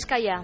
Bizkaia.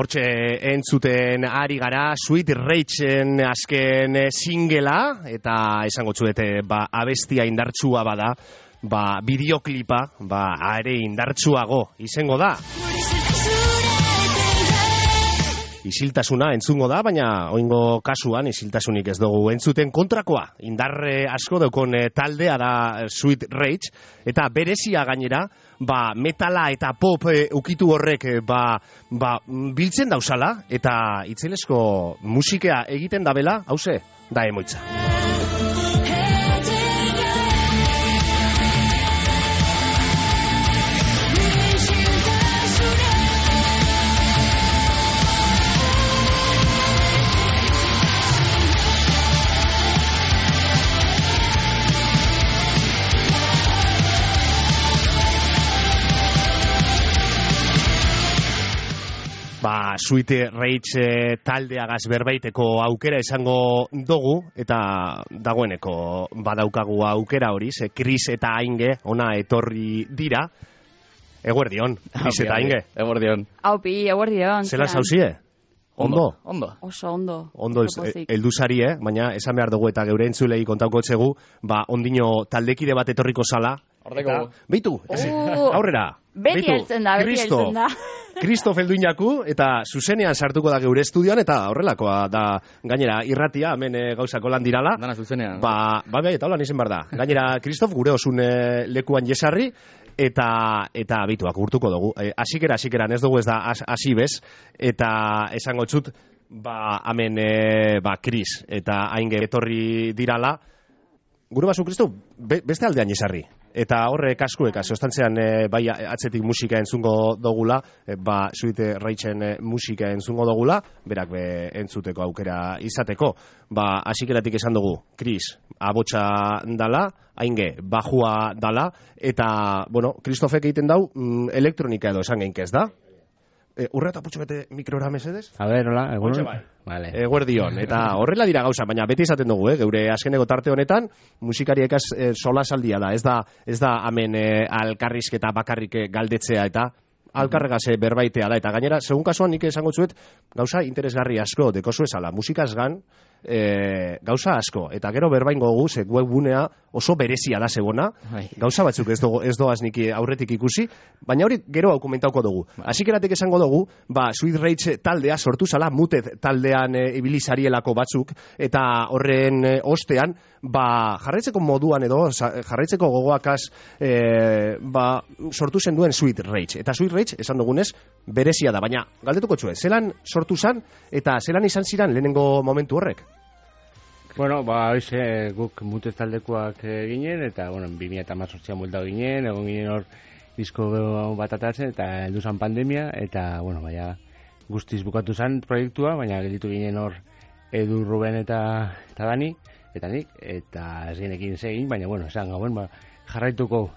Hortxe entzuten ari gara Sweet Rage-en azken singela, eta esango txuete abestia indartsua bada, bideoklipa are indartsuago izango da. Isiltasuna entzungo da, baina oingo kasuan isiltasunik ez dugu entzuten, kontrakoa. Indarre asko daukon taldea da Sweet Rage, eta berezia gainera, metala eta pop ukitu horrek biltzen dauzala, eta itzelesko musikea egiten dabela, hauze, da emoitza. Sweet Rage taldeagaz berbaiteko aukera esango dugu, eta dagoeneko badaukagu aukera hori, Chris eta Ainge ona etorri dira. Eguerdion, Chris eta Ainge. Eguerdion. Aupi, eguerdion. Zela zauzie? Ondo? Oso ondo. Ondo elduzari, baina esan behar dugu eta geure entzulei kontauko txegu, ondino taldekide bat etorriko zala. Ordeko. Beitu, aurrera. Beti heltzen da. Kristof elduinaku, eta zuzenean sartuko da geure estudioan, eta horrelakoa da gainera irratia, hemen gauzako lan dirala. Dana zuzenean. Eta holan izen behar da. Gainera, Kristof, gure osun lekuan jesarri, eta bituak urtuko dugu. Asikeran ez dugu ez da hasi bez, eta esango txut, hemen Kris eta Ainge etorri dirala. Gure basu, Kristof, beste aldean jesarri. Eta horre kaskueka, sostantzean bai atzetik musika entzungo dogula, Sweet Rage-en musika entzungo dogula, berak entzuteko aukera izateko. Asikeratik esan dugu, Kris, abotsa dala, Ainge, bajua dala, eta, Kristofek egiten dau, elektronika edo esan geinkez da. Urreta putxo bete mikrora mesedez? A ver, hola, egun. Vale. Eguerdion, eta horrela dira gauza, baina beti izaten dugu, geure azkeneko tarte honetan, musikariekaz sola saldia da, ez da hemen alkarrizketa bakarrik galdetzea eta alkarregaz berbaitea da, eta gainera, segun kasuan nik esango txuet, gauza interesgarri asko, dekozu esala, musikaz gan, gauza asko, eta gero berbain gogu, webgunea oso berezia da zegona, gauza batzuk ez doaz nik aurretik ikusi, baina hori gero aukumentauko dugu. Asikeratik esango dugu, Sweet Rage taldea sortu zala, Muted taldean ibilizarielako batzuk, eta horren ostean, jarraitzeko moduan edo, jarraitzeko gogoakaz sortu zen duen Sweet Rage. Eta Sweet Rage, esan dugunez, berezia da, baina galdetuko txue, zelan sortu zan, eta zelan izan ziren lehenengo momentu horrek? Hoxe guk Muted taldekoak ginen, eta 2018an buelta ginen, egon ginen hor disko bat atatzen, eta heldu zan pandemia, eta guztiz bukatu zan proiektua, baina gelditu ginen hor Edu, Ruben eta Dani, eta nik, eta ez ginekin zegin, baina esan gauen jarraituko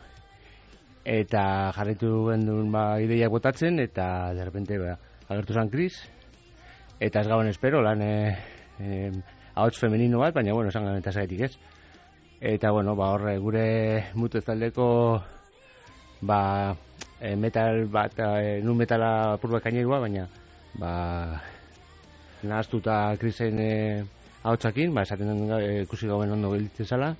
eta jarraitu gendun ideiak botatzen, eta derrepente agertu zen Chris, eta ez gauen espero, lan ahots femenino bat, baina, bueno, esan eta zaitik ez. Eta, bueno, horre, gure mutu ez taldeko, metal bat, nun metala apur bat kainerua, baina, nahaztuta Chrisen ahotsakin, esaten ikusi gauen ondo gelditzen zala,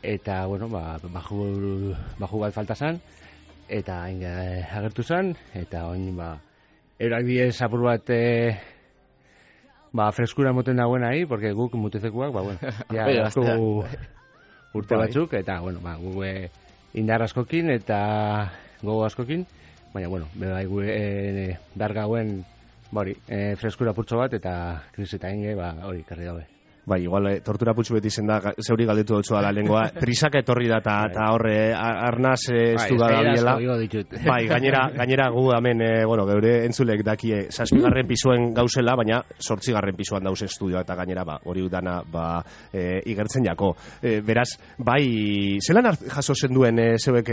eta, bueno, baju bat falta zan, eta agertu zan, eta oin, erak diez apur bat, freskura moten dagoen ahi, porque guk mutezekuak, bueno, ja, urte batzuk, eta, bueno, guk indar askokin, eta gogo askokin, baina, bueno, behar gauen, freskura purtso bat, eta Chris eta inge, hori, karri gabe. Bai, igual, tortura putxu beti izen da, zeuri galdetu dutzu da lengoa, prisaka etorri da, eta horre, arnaz estu da biela. Bai, gainera gu hemen, geure entzulek dakie, 7. pisuen gauzela, baina 8. pisuan dauz estudioa, eta gainera, hori dana, igertzen jako. Beraz, bai, zelan jaso zenduen zeuek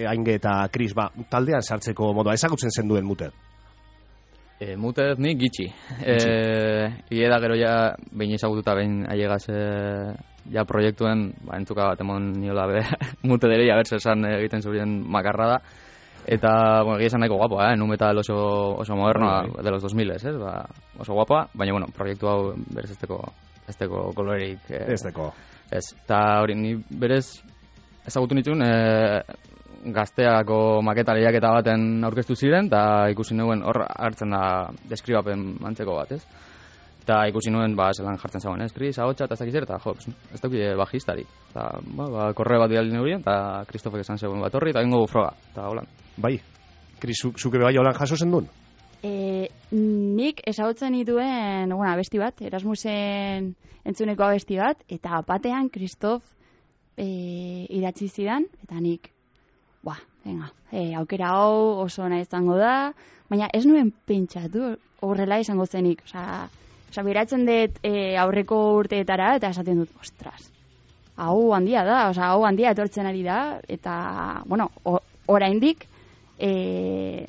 Ainge eta Chris, taldean sartzeko modua, ezagutzen zenduen Mute? Mutez nik gitxi. Ieda gero ja behin ezagututa behin ailegaz ja proiektuen, entzuka bat emon niola Mute dere, ja bertze esan egiten zurien makarra da. Eta, bueno, egia esan nahiko guapoa, nu metal oso modernoa de los 2000, oso guapoa, baina, bueno, proiektu hau berez esteko kolorerik. Esteko. Ez, eta hori, ni berez ezagutu nituen, gazteako maketa lehiaketa baten aurkeztu ziren, eta ikusi nuen hor hartzen da deskribapen antzeko bat, ez? Eta ikusi nuen, zelan jartzen zagoen, ez? Chris, ahotsa, eta ez dakiz eta ez dauki bajistarik. Eta, korreo bat bidali neurien, eta Kristofek esan zegoen bat horri, eta ingo froga, eta holan. Bai, Chris, zuke bai holan jaso zen duen? Nik ezagutzen dituen, abesti bat, Erasmusen entzuneko abesti bat, eta batean Kristof idatzi zidan, eta nik, aukera hau oso nahi izango da, baina ez nuen pentsatu horrela izango zenik. Osa, beratzen dut aurreko urteetara, eta esaten dut, ostras, hau handia da, hau handia etortzen ari da, eta, bueno, oraindik, ez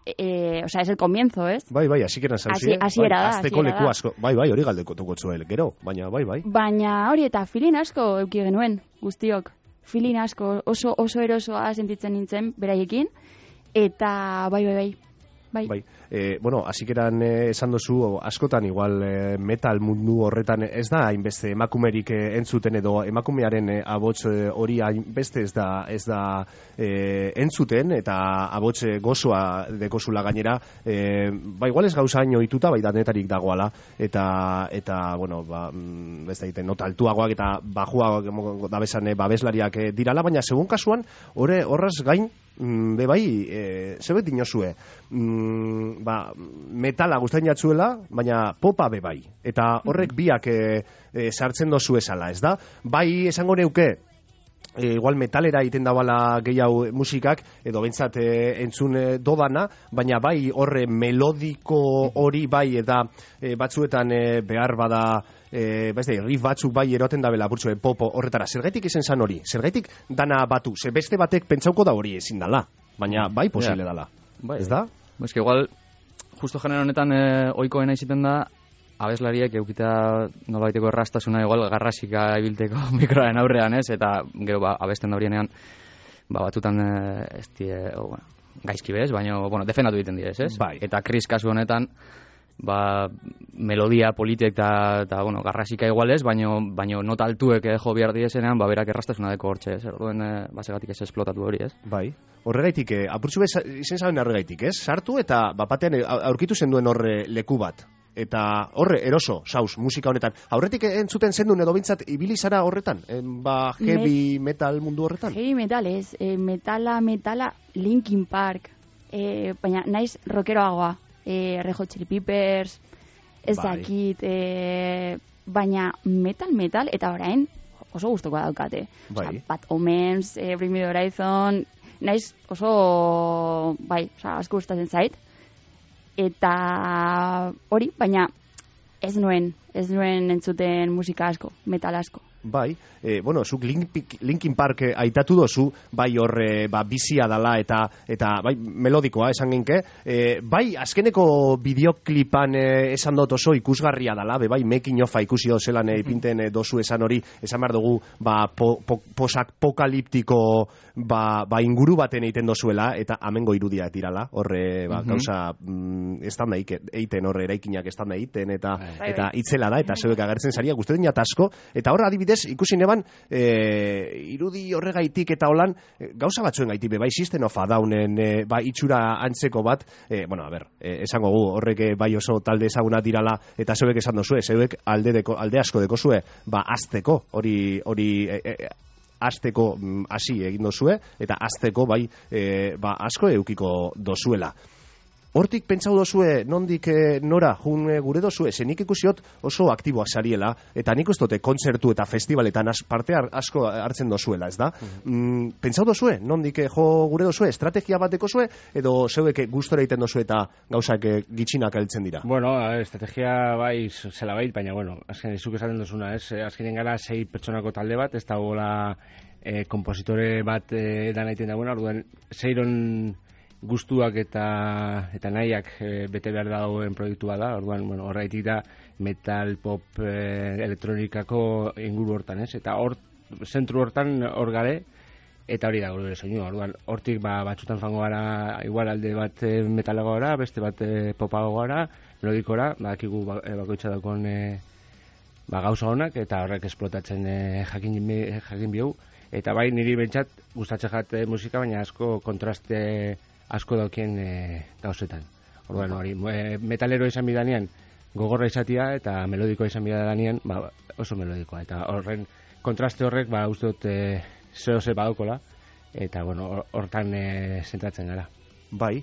el comienzo, ez? Bai, así que hasiera da. Azteko leku asko, hori galdeko tukotzuel, gero, baina, bai. Baina hori eta filin asko euki genuen, guztiok. Filin asko, oso erosoa sentitzen nintzen beraiekin, eta bai. Hasikeran esan dozu, askotan igual metal mundu horretan ez da hainbeste emakumerik entzuten edo emakumearen abots hori hainbeste ez da entzuten, eta abots gozoa dekozula gainera, igual ez gauza hain ohituta, bai danetarik dagoala, eta ez da nota altuagoak eta bajuagoak dabesan babeslariak dirala, baina segun kasuan, horraz gain, zebet dinozue, metala guztain jatzuela, baina popa bai. Eta horrek biak sartzen dozu esala, ez da? Bai, esango neuke, igual metalera egiten dabala gehiago musikak, edo bentsat entzun dodana, baina bai horre melodiko hori bai, eta batzuetan behar bada, riff batzuk bai eroten dabela burtsu popo horretara. Zergaitik izen zan hori? Zergaitik dana batu? Beste batek pentsauko da hori ezin dala, baina bai posible dala. Ez da? Ez que igual, justo genero honetan ohikoena iziten da, abeslariek eukitea nolabaiteko errastasuna igual garrasika ibilteko mikroaren aurrean, ez? Eta gero abesten da horienean batutan gaizki bez, baina defendatu egiten direz, ez? Bai. Eta Chris kasu honetan melodia politek eta garrasika igual ez, baina nota altuek jo behar diezenean, berak errastasuna deko hortxe, ez? Orduen basegatik ez esplotatu hori, ez? Bai. Horregaitik, apurtzu bez izen zaben horregaitik, ez? Sartu eta batean aurkitu zenduen horre leku bat. Eta horre, eroso, saus, musika honetan. Aurretik entzuten zendun edo bintzat ibili zara horretan? Heavy metal mundu horretan? Heavy metal, ez. Metala, Linkin Park. Baina naiz rockeroagoa. Red Hot Chili Peppers, ez dakit, baina metal, eta orain oso gustuko daukate. Bai. Bad Omens, Bring Me The Horizon, naiz oso, asko gustatzen zait. Eta hori, baina ez nuen entzuten musika asko, metal asko. Bai, bueno, zuk Linkin Park aitatu dozu, bai hor bizia dala eta bai melodikoa esan genke, bai azkeneko bideoklipan esan dut oso ikusgarria dala, bai making ofa ikusi dozelan ipinten dozu esan hori, esan behar dugu posapokaliptiko inguru baten egiten dozuela, eta amengo irudia dirala, horre gauza estan da eiten horre eraikinak estan da eiten, eta itzela da, eta zeuek agertzen zaria, guzti dina tasko, eta horre adibidez ikusi neban irudi horregaitik eta holan gauza batzuen gaitik bai System of a Downen itxura antzeko bat, bueno, a ber, esango gu horrek bai oso talde ezaguna dirala eta zeuek esan dozue, zeuek alde asko dekozue, azteko hori azteko hasi egin dozue eta azteko bai asko eukiko dozuela. Hortik pentsau dozue, nondik nora jun gure dozue, nik ikusiot oso aktiboak zariela, eta nik uste kontzertu eta festivaletan parte asko hartzen dozuela, ez da? Pentsau dozue, nondik jo gure dozue, estrategia bateko zue, edo zeuek gustora egiten dozue eta gauzak gitxinak heltzen dira? Bueno, estrategia bai zela bait, baina, bueno, azken izuk esaten dozuna, ez? Azkenen gara 6 pertsonako talde bat, ez da gola kompositore bat edan egiten dagoena, orduan 6 gustuak eta nahiak bete behar dagoen proiektua da, orduan, bueno, horreitik da metal, pop, elektronikako inguru hortan, ez? Eta zentru hortan hor gare, eta hori da gure soinua, orduan, hortik batzutan fango gara, igual alde bat metalago gara, beste bat popago gara, melodikora, badakigu bakoitza daukon gauza honak, eta horrek esplotatzen jakin bihau, eta bai niri bentsat gustatzen jat musika, baina asko kontraste asko daukien gauzetan. Orduan hori, metalero izan bidanean gogorra izatia eta melodikoa izan bidanean oso melodikoa. Eta horren kontraste horrek uste dut zehose badaukola eta bueno, hortan zentratzen gara. Bai,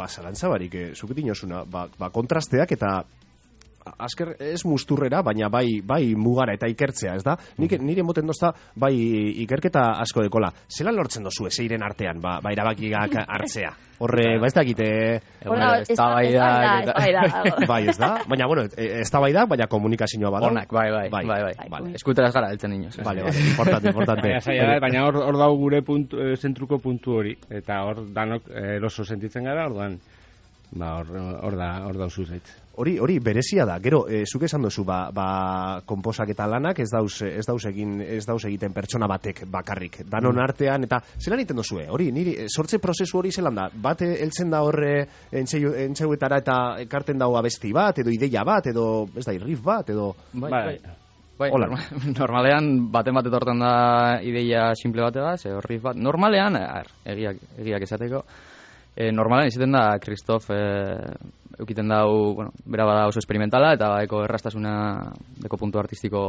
zalantza barik, zuketin osuna, kontrasteak eta azker ez musturrera, baina bai mugara eta ikertzea, ez da? Nire moten dozta, bai ikerketa asko dekola. Zelan lortzen dozu ezeiren artean, erabakiak hartzea? Horre, ez dakite... Ez da bai da. Bai, ez da? Baina, bueno, ez da bai da, baina komunikazioa bada. Honak, bai. Eskuteraz gara eltzen inoz. Vale, importante. Baina hor dago gure zentruko puntu hori, eta hor danok eroso sentitzen gara, orduan, hor da usuzait. Hori berezia da. Gero, zuk esan duzu, konposak eta lanak ez dauz egiten pertsona batek bakarrik. Danon artean, eta zelan egiten duzue? Hori, niri, sortze prozesu hori zelan da? Bat heltzen da horre entzeuetara eta ekarten dago abesti bat, edo ideia bat, edo, ez da, riff bat, edo... Bai, normalean baten bat etortan da ideia simple batega, riff bat. Normalean, egiak esateko, normalean izaten da Kristof eukiten dau, bueno, bera bada oso experimentala eta eko errastasuna deko puntu artistiko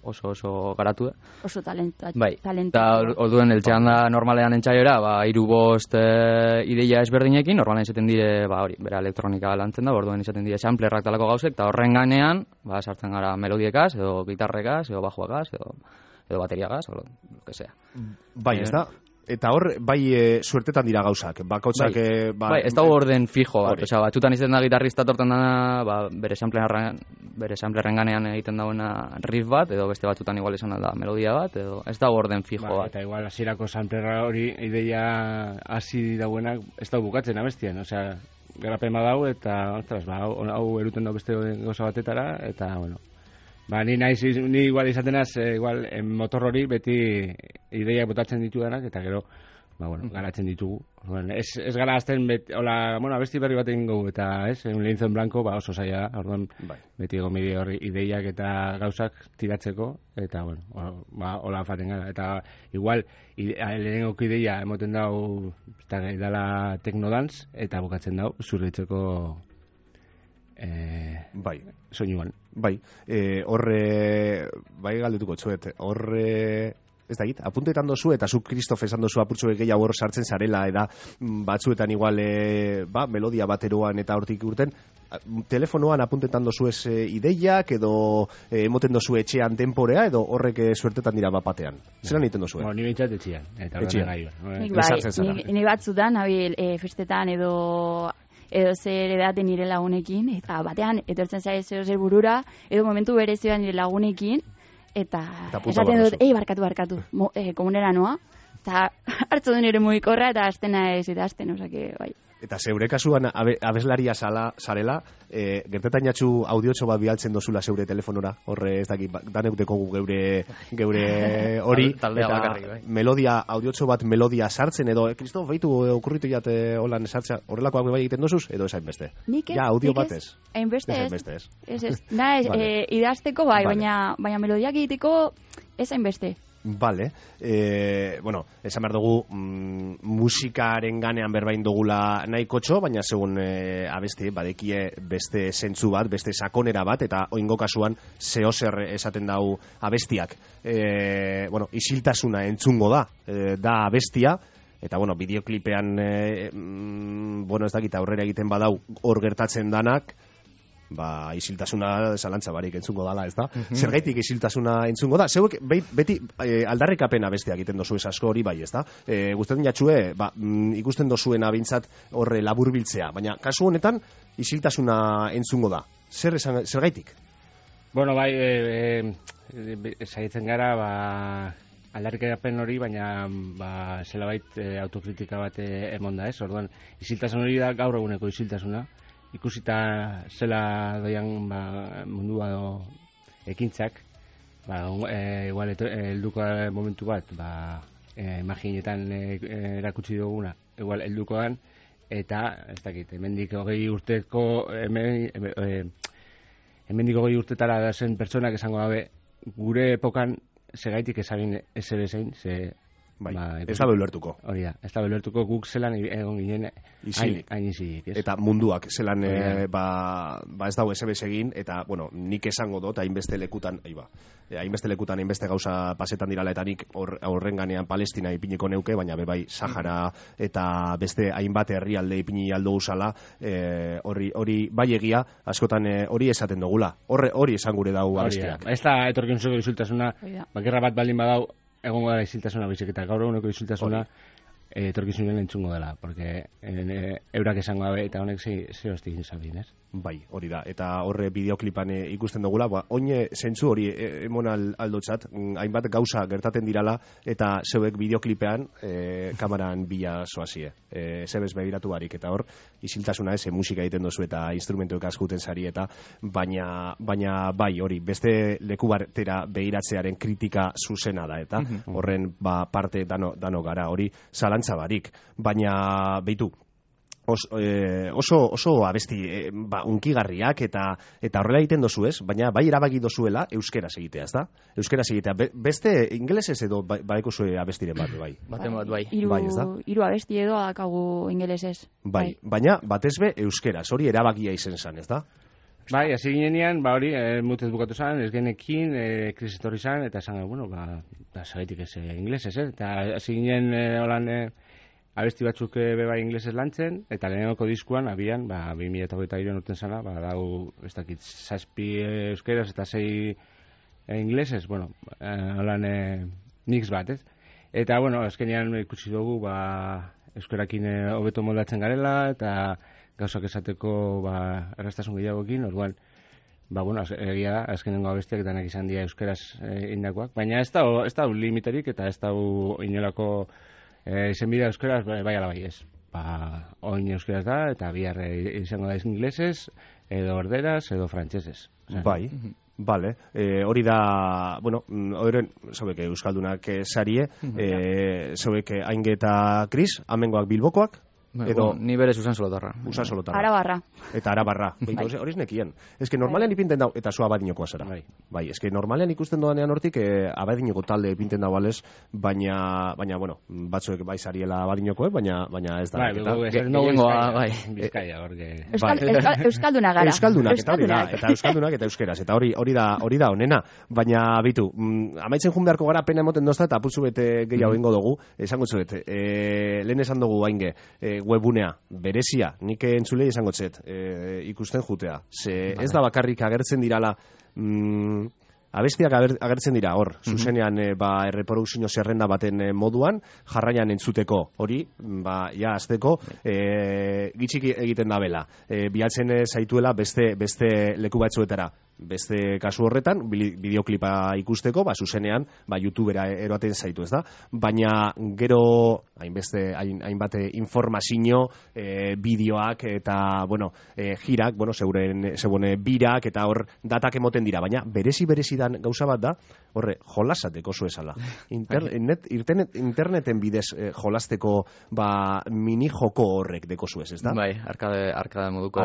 oso garatu da. Oso talentua. Bai, eta orduen eltzean da normalean entxaiora, 3-5 ideia ezberdinekin, normalean izaten dire, hori, bera elektronika lantzen da, orduen izaten dire samplerrak talako gauzek, eta horren ganean, sartzen gara melodiekaz, edo gitarrekaz, edo bajuakaz, edo bateriagaz, o lo que sea. Bai, ez da? Eta hor, suertetan dira gauzak, bakotxak... Bai, ez dago orden fijo bat, batzutan izaten da gitarrista tortan da, bere samplerren ganean egiten dagoena riff bat, edo beste batzutan igual izan da melodia bat, edo ez dago orden fijo bat. Eta igual hasierako samplerra hori ideia hasi dauenak ez dago bukatzen abestien, osea, garapen badau eta, ostras, hau eruten dago beste gauza batetara, eta, bueno... ni igual izatenaz, igual, motor hori beti ideiak botatzen ditudanak, eta gero, garatzen ditugu. Ez gara azten, abesti berri bat egin gogu, eta un lienzo en blanco, oso zaila, orduan, beti egomide hori ideiak eta gauzak tiratzeko, eta, hola faten gara. Eta, igual, lehenengoko ideia emoten dau, eta dala teknodantz, eta bukatzen dau, zurritzeko soinuan. Bai, horre, galdetuko txuet, horre, ez da git, apuntetan dozu, eta zu Kristof esan dozu apurtxo gehiago hor sartzen zarela, eta batzuetan igual, melodia bateroan eta hortik urten, telefonoan apuntetan dozu ez ideiak, edo emoten dozu etxean temporea, edo horrek suertetan dira bapatean. Zeran egiten dozu? Ni bintzat etxean. Ni batzutan, festetan edo zer edaten nire lagunekin, eta batean etortzen zaiz zer burura, edo momentu berezioan nire lagunekin, eta punta esaten barra dut, duzu. barkatu, komunera noa, eta hartzu du nire mugikorra eta aztena ez eta azten, osake, bai. Eta zeure kasuan abeslaria zarela, gertetainatxu audiotxo bat bialtzen dozula zeure telefonora, horre ez dakit, danek dekogu geure hori, Taldea eta bakarrik, bai. melodia, audiotxo bat melodia sartzen, edo, Kristof, baitu okurritu jate holan sartzea, horrelakoak bai egiten dozuz, edo esain beste? Nik ez, Ja, audio nik bat ez. Hainbeste ez. Hainbeste ez. Ez. Vale. Idazteko bai, Vale. baina melodiak egiteko ez hainbeste. Vale, bueno, esan behar dugu musikaren ganean berbain dugula nahiko txo, baina segun abesti, badekie beste zentzu bat, beste sakonera bat, eta oingo kasuan zehozer esaten dau abestiak. Bueno, isiltasuna entzungo da abestia, eta bueno, bideoklipean, bueno, ez dakit aurrera egiten badau hor gertatzen danak, isiltasuna zalantza barik entzungo dala, ez da? Zergaitik isiltasuna entzungo da? Zeuek beti aldarrikapena beste egiten dozu asko hori bai, ez da? Guztetan jatxue, ikusten dozuena bintzat horre laburbiltzea, baina kasu honetan isiltasuna entzungo da. Zergaitik? Bueno, bai, saiatzen gara, aldarrikapen hori, baina zelabait autokritika bat emon da, ez? Orduan, isiltasun hori da gaur eguneko isiltasuna. Ikusita zela doian mundua ekintzak, igual helduko momentu bat, imaginetan erakutsi duguna, igual heldukoan, eta, ez dakit, hemendik 20 urteko, hemendik 20 urtetara da zen pertsonak esango gabe, gure epokan segaitik ezagin ez ere zein, ez da ulertuko. Hori da, ez da ulertuko guk zelan egon ginen hain isilik. Eta munduak zelan ez dago esebez egin, eta, bueno, nik esango dut, hainbeste lekutan, hainbeste gauza pasetan dirala, eta nik horren ganean Palestina ipiniko neuke, baina bebai Sahara eta beste hainbat herrialde ipini aldo usala, hori bai egia, askotan hori esaten dugula. Hori esan gure dau abestiak. Ez da etorkizuko isiltasuna, bakerra bat baldin badau, egongo dara isiltasuna bizik, eta gaur eguneko isiltasuna etorkizunen entzungo dela, porque eurak esango dabe, eta honek ze hostik izabin, ez? Bai, hori da, eta horre bideoklipan ikusten dugula, oine zentzu hori emon aldotzat, hainbat gauza gertaten dirala, eta zeuek bideoklipean kamaran bila soazie, zebez begiratu barik, eta hor, isiltasuna ez, musika egiten dozu eta instrumentuek askuten zari, eta baina bai, hori, beste leku batera begiratzearen kritika zuzena da, eta horren parte dano gara, hori zalantza barik, baina behitu, oso abesti unkigarriak eta horrela egiten dozu ez, baina bai erabaki dozuela euskeraz egitea, ez da? Euskeraz egitea, beste ingelesez edo baiko zue abestiren bat, bai? Baten bat, bai. Hiru abesti edo adakagu ingelesez. Bai, baina batez be euskeraz, hori erabakia izen zan, ez da? Bai, hasi ginean, hori, mutez bukatu zan, ez genekin, krisis etorri zan, eta esan, bueno, zagaitik ez inglesez, eta hasi ginen holan abesti batzuk bebai inglesez lantzen, eta lehenenoko diskuan, abian, 2023 urten zana, dau, ez dakit, 7 euskeraz eta 6 inglesez, bueno, holan mix bat, ez? Eta, bueno, azkenean ikusi dugu, euskerakin hobeto moldatzen garela, eta gauzak esateko erraztasun gehiagoekin, orduan, bueno, egia da, azkenengo abestiak denak izan dira euskeraz indakoak, baina ez da limiterik, eta ez da inolako izenbidea euskeraz, bai ala bai ez. Oin euskeraz da, eta bihar izango da inglesez, edo orderaz, edo frantsesez. Bai, vale. Hori da, bueno, horren, zauek euskaldunak sarie, zauek Ainge eta Kris, amengoak Bilbokoak, edo ni berez Usan Solotarra. Usan Solotarra. Arabarra. Eta Arabarra. Hori nekien. Eske normalean ipinten dau, eta zu abadinokoa zera. Bai, eske normalean ikusten doanean hortik abadinoko talde ipinten dau balez, baina, bueno, batzuek bai zariela abadinokoek, baina ez da. Bai, Bizkaia, horke. Euskalduna gara. Euskaldunak, eta euskaldunak eta euskeraz, eta hori da onena, baina bitu, amaitzen jun beharko gara pena emoten dozta, eta putzu bete gehiago ingo dugu, esango zuet, lehen esan dugu Ainge, webunea, berezia, nik entzulei esango txet, ikusten jutea. Ez da bakarrik agertzen dirala abestiak agertzen dira hor, zuzenean erreprodukzio zerrenda baten moduan, jarraian entzuteko, hori, ja, azteko, gitxik egiten da bela. Bialtzen zaituela beste leku batzuetara. Beste kasu horretan, bideoklipa ikusteko, zuzenean, YouTubera eroaten zaitu, ez da? Baina gero, hainbat informazio, bideoak eta, jirak, zeuen birak eta hor datak emoten dira, baina berezi dan gauza bat da, horre, jolasateko zuezala. Interneten bidez jolasteko mini joko horrek deko zuez, ez da? Bai, arkade moduko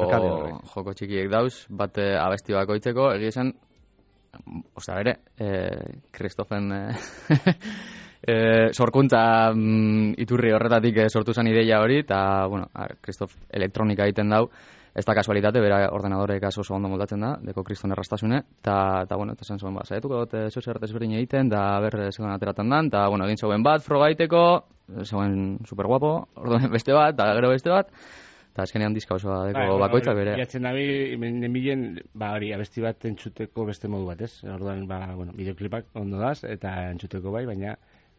joko txikiek dauz, bat abesti bakoitzeko, egia esan, Kristofen sorkuntza iturri horretatik sortu zen ideia hori, eta, Kristof elektronika egiten dau, ez da kasualitate, bera ordenadorek oso ondo moldatzen da, deko kriston errastasune, eta zen zuen, saietuko dut zehuzert ezberdin egiten, da zegoen ateratan dan, eta, egin zegoen bat, froga egiteko, zegoen superguapo, orduen beste bat, eta gero beste bat, eta azkenean diska osoa deko bakoitza bere. Iatzen nabi, nemilen, hori, abesti bat entzuteko beste modu bat, ez? Orduan, bideoklipak ondo daz, eta entzuteko baina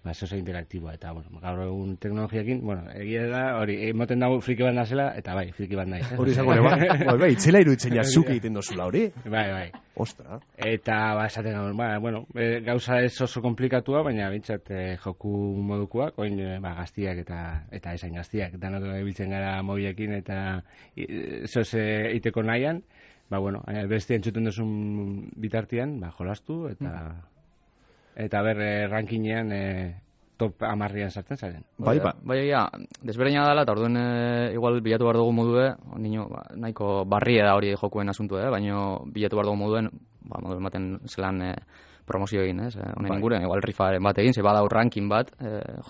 oso interaktiboa, eta, gaur egun teknologiakin, egia da, hori, emoten dago friki bat nazela, eta friki bat nahi. Hori izango, itzela iruditzen jazuk egiten dozula, hori? Bai. Ostra. Eta, esaten gaur, gauza ez oso komplikatua, baina bintzat joku modukoak, oin gaztiak eta esain gaztiak, danok biltzen gara mobilekin eta zoze iteko nahian, beste entzuten duzun bitartian, jolastu, eta rankinean top 10ean sartzen zaren. Bai, desberdina dela, eta orduen igual bilatu behar dugu modue, nahiko barrie da hori jokuen asuntu, baina bilatu behar dugu moduen, moduen baten zelan promozio egin, honen inguruan, igual rifaren bat egin, ze badau ranking bat,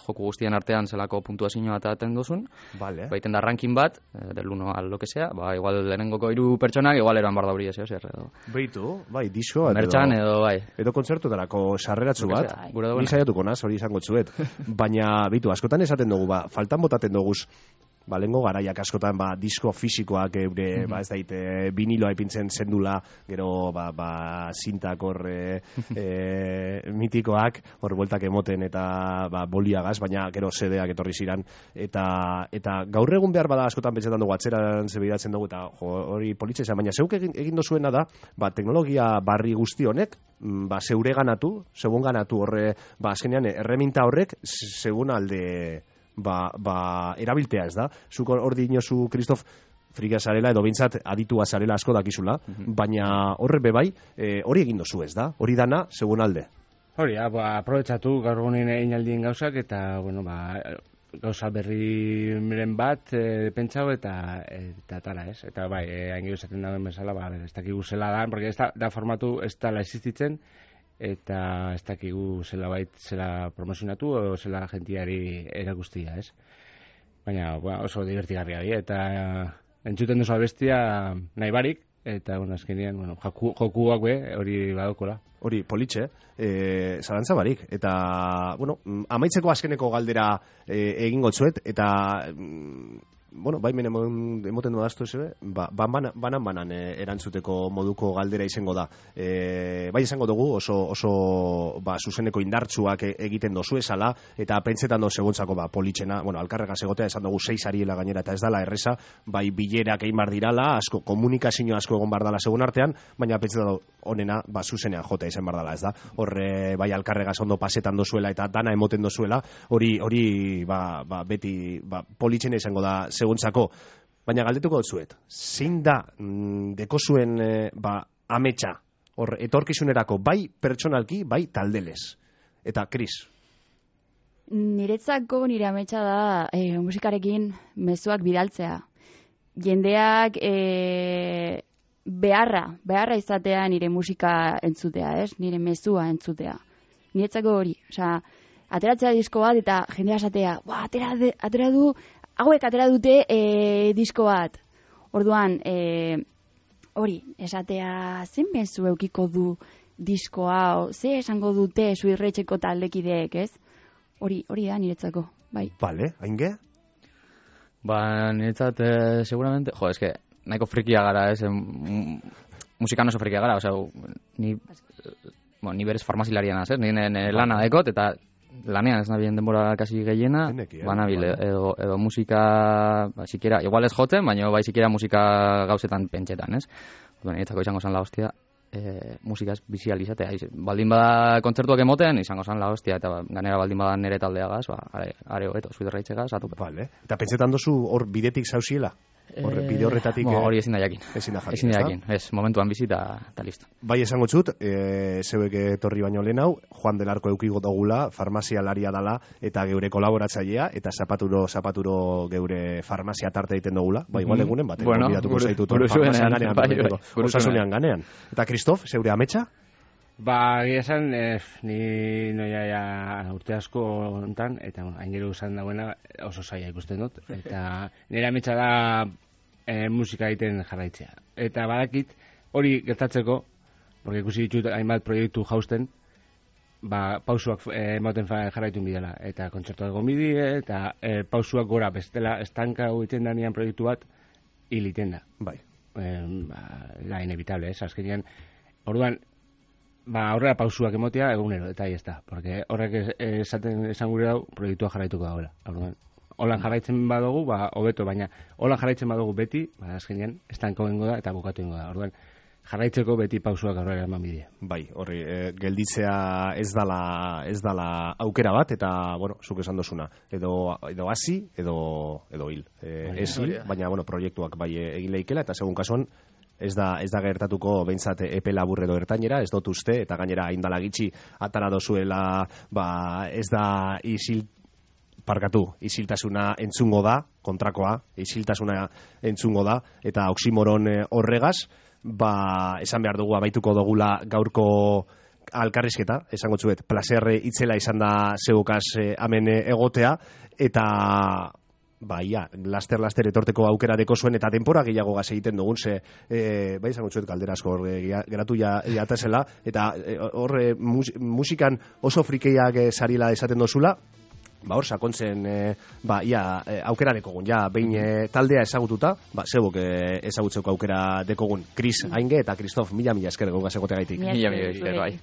joku guztien artean zelako puntuazioa eta aten duzun, baiten da ranking bat, del 1 al lo que sea, igual lehenengoko 3 pertsonak, igual eran bardauri ez, edo. Beitu, disko, mertxan edo, edo kontzertutarako sarreratzu bat, ni saiatuko naz, hori izango txuet, baina, beitu, askotan esaten dugu, faltan botaten duguz, lengo garaiak askotan disko fisikoak eure, ez daite, viniloa ipintzen zendula, gero zintak hor mitikoak, hor bueltak emoten eta boliagaz, baina gero CD-ak etorri ziran, eta gaur egun behar bada askotan pentsetan dugu, atzeran zebeidatzen dugu, eta hori politxe izan, baina zeuk egin dozuena da, teknologia barri guzti honek, zeure ganatu, zeuen ganatu horre, azkenean erreminta horrek, zeuen alde erabiltea, ez da? Zuk hor dinozu, Kristof, frika zarela, edo bintzat aditua zarela asko dakizula, baina horre bebai, hori egin dozu, ez da? Hori dana, segun alde. Hori, aprobetsatu gaur egunen einaldien gauzak, eta, gauza berriren bat pentsau eta tara, ez? Eta hain esaten dagoen bezala, ez dakigu zela da, porque da formatu ez dala existitzen, eta ez dakigu zela promozionatu o zela jentiari erakustia, ez? Baina, oso divertigarria di, eta entzuten duzu abestia nahi barik, eta, azkenean, jokuak hori badokola. Hori, politxe, zalantza barik, eta, amaitzeko azkeneko galdera egingo txuet, eta, emoten dudaztu ez, banan erantzuteko moduko galdera izango da. Izango dugu oso zuzeneko indartsuak egiten dozu esala, eta pentsetan dozu egontzako politxena, alkarrega segotea esan dugu 6 ariela gainera, eta ez dala erreza, bilerak egin bar dirala, asko, komunikazio asko egon bar dala segun artean, baina pentsetan honena, zuzenean jotea izan bar dala, ez da? Horre, alkarrega ondo pasetan dozuela, eta dana emoten dozuela, hori, beti, politxena izango da seguntzako, baina galdetuko dutzuet, zein da deko zuen ametsa, hor, etorkizunerako, bai pertsonalki, bai taldelez. Eta, Kris? Niretzako nire ametsa da musikarekin mezuak bidaltzea. Jendeak beharra izatea nire musika entzutea, ez? Nire mezua entzutea. Niretzako hori, ateratzea disko bat eta jendea esatea, atera du, hauek atera dute disko bat. Orduan, hori, esatea, zen mezu eukiko du disko hau, ze esango dute Zuirretxeko taldekideek, ez? Hori da niretzako, bai. Bale, hainge? Niretzat, seguramente, eske, nahiko frikia gara, ez? Musikan oso frikia gara, ni ni berez farmazilarian naz, nire lana dekot, eta lanean ez nabien denbora kasi gehiena, banabil, edo musika, sikera, igual ez jotzen, baina bai sikera musika gauzetan pentsetan, ez? Niretzako izango zan la hostia, musikaz bizializatea. Baldin bada kontzertuak emoten, izango zan la hostia, eta ganera baldin bada nire taldeagaz, are hobeto, zuiderraitzegaz, atupe. Vale. Eta pentsetan dozu hor bidetik zauziela? Bide horretatik... Hori ezin da jakin. Ezin da jakin, ez, momentuan bizi eta listo. Bai esango txut, zeuek etorri baino lehen hau, Juan del Arco eukigo dugula, farmazialaria dala, eta geure kolaboratzailea, eta zapaturo geure farmazia tarte egiten dugula. Ba, igual egunen bat, bidatuko zaitut osasunean ganean. Eta Kristof, zeure ametsa? Ba, gira esan, ni noia urte asko ontan, eta hainero usan dagoena oso zaila ikusten dut. Eta nire ametsa da musika egiten jarraitzea. Eta badakit, hori gertatzeko, porque ikusi ditut hainbat proiektu jausten, ba, pausuak ematen jarraitu bidela. Eta kontzertuak gomidie, eta pausuak gora bestela estanka egiten danean proiektu bat, hil iten da. Bai. La inevitable, ez? Azkenean, orduan, ba, horrela pausuak emotea egunero, eta ez da. Porque horrek esan gure dau, proiektua jarraituko dagoela. Holan jarraitzen badugu, ba, hobeto, baina holan jarraitzen badugu beti, ba, azkenean, estanko gengo da eta bukatu gengo da. Orduan, jarraitzeko beti pausuak aurrera eman bidea. Bai, horri, gelditzea ez dala aukera bat, eta, bueno, zuk esan dozuna, edo hasi, edo hil. Ez hil, baina, bueno, proiektuak bai egin lehikela, eta segun kasuan, ez da gertatuko behintzat epe labur edo ertainera, ez dut uste, eta gainera indala gitxi atara dozuela, ba, ez da isiltasuna entzungo da, kontrakoa, isiltasuna entzungo da, eta oksimoron horregaz, ba, esan behar dugu abaituko dugula gaurko alkarrizketa, esango txuet, placer itzela izan da zeukaz hemen egotea, eta ba, laster etorteko aukera deko zuen, eta denpora gehiago gaz egiten dugun, ze, bai, izango txuet galdera asko geratu jatazela, eta horre musikan oso frikeiak sarila esaten dozula, ba, hor sakontzen, aukera dekogun, behin taldea ezagututa, ba, zebok ezagutzeko aukera dekogun, Kris Ainge eta Kristof, mila esker egon gazegote gaitik. Mila esker, bai.